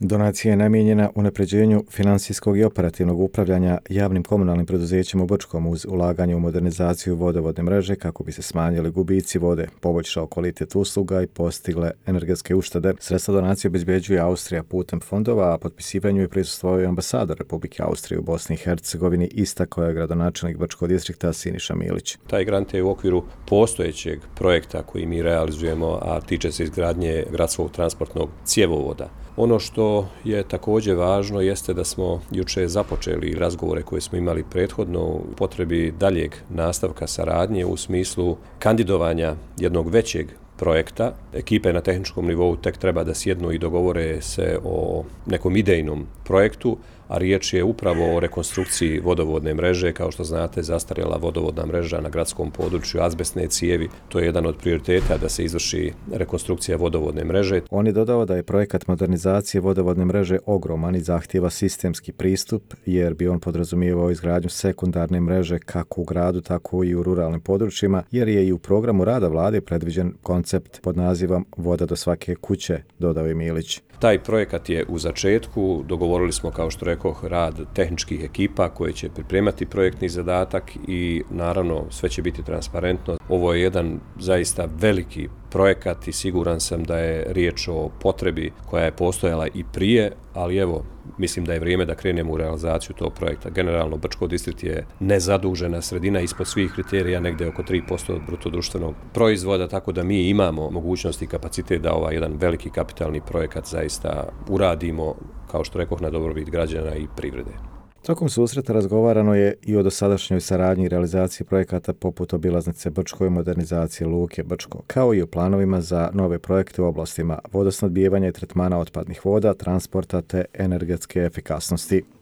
Donacija je namijenjena unapređenju financijskog i operativnog upravljanja javnim komunalnim preduzećima u Brčkom uz ulaganje u modernizaciju vodovodne mreže kako bi se smanjili gubici vode, poboljšao kvalitet usluga i postigle energetske uštede. Sredstva donacije obezbeđuje Austrija putem fondova, a potpisivanju je prisustvovao i ambasador Republike Austrije u Bosni i Hercegovini, istakao je gradonačelnik Brčkog distrikta Siniša Milić. Taj grant je u okviru postojećeg projekta koji mi realizujemo, a tiče se izgradnje gradskog transportnog cjevovoda. Ono što je također važno jeste da smo juče započeli razgovore koje smo imali prethodno u potrebi daljeg nastavka saradnje u smislu kandidovanja jednog većeg projekta. Ekipe na tehničkom nivou tek treba da sjednu i dogovore se o nekom idejnom projektu, a riječ je upravo o rekonstrukciji vodovodne mreže. Kao što znate, zastarjela vodovodna mreža na gradskom području, azbestne cijevi, to je jedan od prioriteta da se izvrši rekonstrukcija vodovodne mreže. On je dodao da je projekat modernizacije vodovodne mreže ogroman i zahtijeva sistemski pristup, jer bi on podrazumijevao izgradnju sekundarne mreže kako u gradu, tako i u ruralnim područjima, jer je i u programu rada vlade predviđen koncept pod nazivom Voda do svake kuće, dodao je Milić. Taj projekat je u začetku, dogovorili smo, kao što rekoh, rad tehničkih ekipa koje će pripremati projektni zadatak i naravno sve će biti transparentno. Ovo je jedan zaista veliki projekat i siguran sam da je riječ o potrebi koja je postojala i prije, ali evo, mislim da je vrijeme da krenemo u realizaciju tog projekta. Generalno, Brčko distrikt je nezadužena sredina ispod svih kriterija, negdje oko 3% od brutodruštvenog proizvoda, tako da mi imamo mogućnost i kapacitet da ovaj jedan veliki kapitalni projekat zaista uradimo, kao što rekoh, na dobrobit građana i privrede. Tokom susreta razgovarano je i o dosadašnjoj saradnji i realizaciji projekata poput obilaznice Brčko i modernizacije luke Brčko, kao i o planovima za nove projekte u oblastima vodosnadbijevanja i tretmana otpadnih voda, transporta te energetske efikasnosti.